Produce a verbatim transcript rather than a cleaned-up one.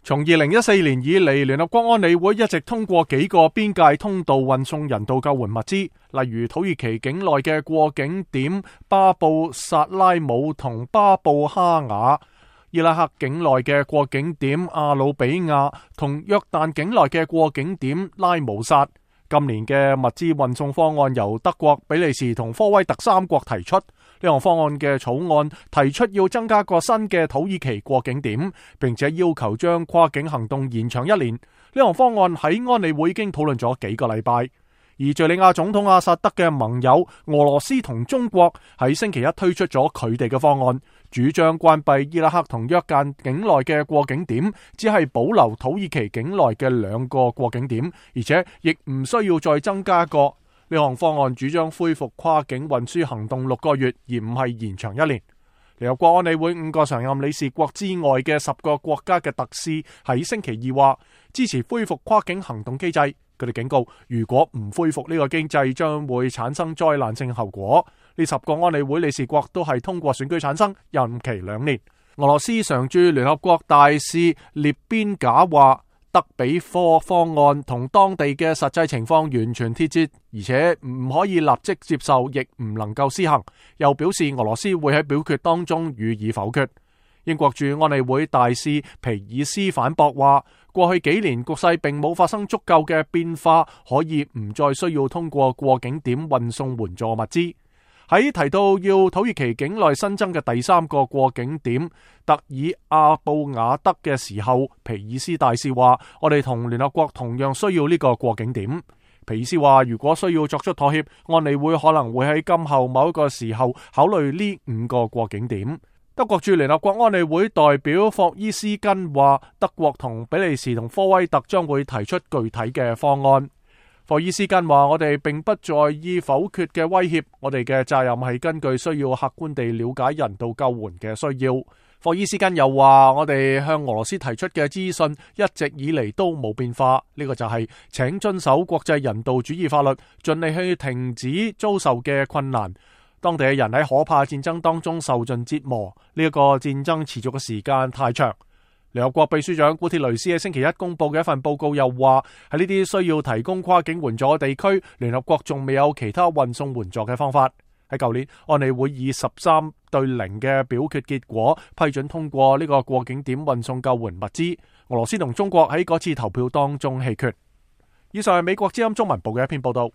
從二零一四年以嚟，聯合國安理會一直通過幾個邊界通道運送人道救援物資，例如土耳其境內嘅過境點巴布薩拉姆同巴布哈瓦、伊拉克境內嘅過境點阿魯比亞同約旦境內嘅過境點拉姆薩。今年嘅物資運送方案由德國、比利時同科威特三國提出。呢項方案嘅草案提出要增加個新嘅土耳其過境點，並且要求將跨境行動延長一年。呢項方案喺安理會已經討論咗幾個禮拜。而敘利亞總統阿薩德嘅盟友俄羅斯同中國喺星期一推出咗佢哋嘅方案，主張關閉伊拉克同約旦境內嘅過境點，只係保留土耳其境內嘅兩個過境點，而且亦唔需要再增加一個。呢項方案主張恢復跨境運輸行動六個月，而唔係延長一年。聯合國安理會五個常任理事國之外嘅十個國家嘅特使喺星期二話支持恢復跨境行動機制。佢哋警告，如果唔恢復呢個機制，將會產生災難性後果。呢十個安理會理事國都係通過選舉產生，任期兩年。俄羅斯常駐聯合國大使列邊賈話，德比科方案同當地嘅實際情況完全脫節，而且唔可以立即接受，亦唔能夠施行。又表示俄羅斯會喺表決當中予以否決。英國駐安理會大使皮爾斯反駁話，過去幾年局勢並冇發生足夠嘅變化，可以唔再需要通過過境點運送援助物資。喺提到要土耳其境內新增嘅第三個過境點特爾阿布瓦德嘅時候，皮爾斯大使話，我哋同聯合國同樣需要呢個過境點。皮爾斯話，如果需要作出妥協，安理會可能會喺今後某一個時候考慮呢五個過境點。德國駐聯合國安理會代表霍伊斯根話，德國同比利時同科威特將會提出具體嘅方案。霍伊斯根話，我哋並不在意否決嘅威脅，我哋嘅責任係根據需要客觀地了解人道救援嘅需要。霍伊斯根又話，我哋向俄羅斯提出嘅資訊一直以嚟都冇變化，呢個就係請遵守國際人道主義法律，盡力去停止遭受嘅困難。當地嘅人喺可怕戰爭當中受盡折磨，呢一個戰爭持續嘅時間太長。聯合國秘書長古鐵雷斯喺星期一公布嘅一份報告又話，喺呢啲需要提供跨境援助嘅地區，聯合國仲未有其他運送援助嘅方法。喺舊年，安理會以十三對零嘅表決結果批准通過呢個過境點運送救援物資。俄羅斯同中國喺嗰次投票當中棄權。以上係美國之音中文部嘅一篇報道。